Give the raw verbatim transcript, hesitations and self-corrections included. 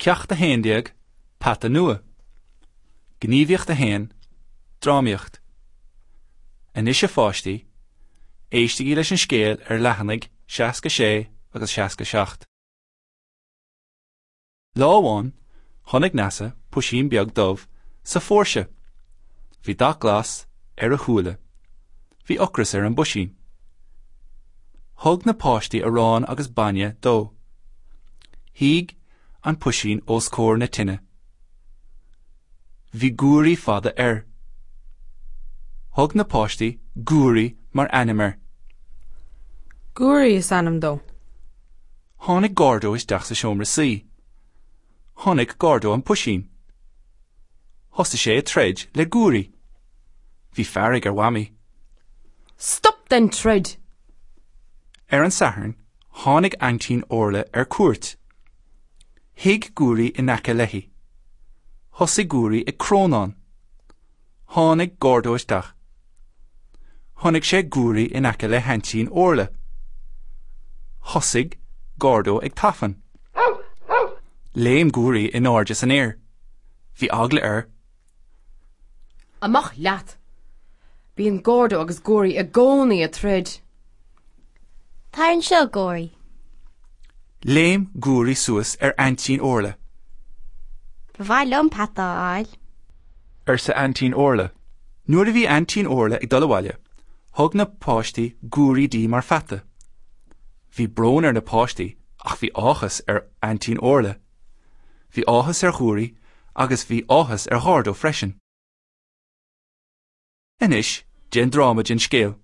Ceacht a haon déag, Peata nua. Gníomhaíocht a haon, Drámaíocht. Anois a pháistí, éistigí leis an scéal ar leathanaigh seasca sé agus seasca seacht. Lá amháin, chonaic Neasa puisín beag dubh sa phóirse. Bhí dath glas ar a shúile. Bhí ocras ar an bpuisín. Thug na páistí arán agus bainne dó. Shuigh an puisín os comhair na tine. Bhí guairí fada air. Thug na páistí Guairí mar ainm air. Guairí is ainm dó. Tháinig Gordo isteach sa seomra suí. Chonaic Gordo an puisín. Thosaigh sé ag troid le Guairí. Bhí fearg ar Mhamaí. Stop den troid! Ar an Satharn, tháinig Aintín Orla ar cuairt. Shuigh Guairí in aice léi. Thosaigh Guairí ag crónán. Tháinig Gordo isteach. Chonaic sé Guairí in aice le hAintín Orla. Thosaigh Gordo ag tafann. Léim Guairí in airde san aer. Bhí eagla air. Amach leat! Bíonn Gordo agus Guairí i gcónaí ag troid. Tar anseo, Guairí. Léim Guairí suas ar Aintín Orla. Ba mhaith liom peata a fháil. Arsa Aintín Orla. Nuair a bhí Aintín Orla ag dul abhaile, thug na páistí Guairí di mar pheata. Bhí brón ar na páistí ach bhí áthas ar Aintín Orla. Bhí áthas ar Ghuairí agus bhí áthas ar Ghordo freisin. Anois, déan dráma den scéal.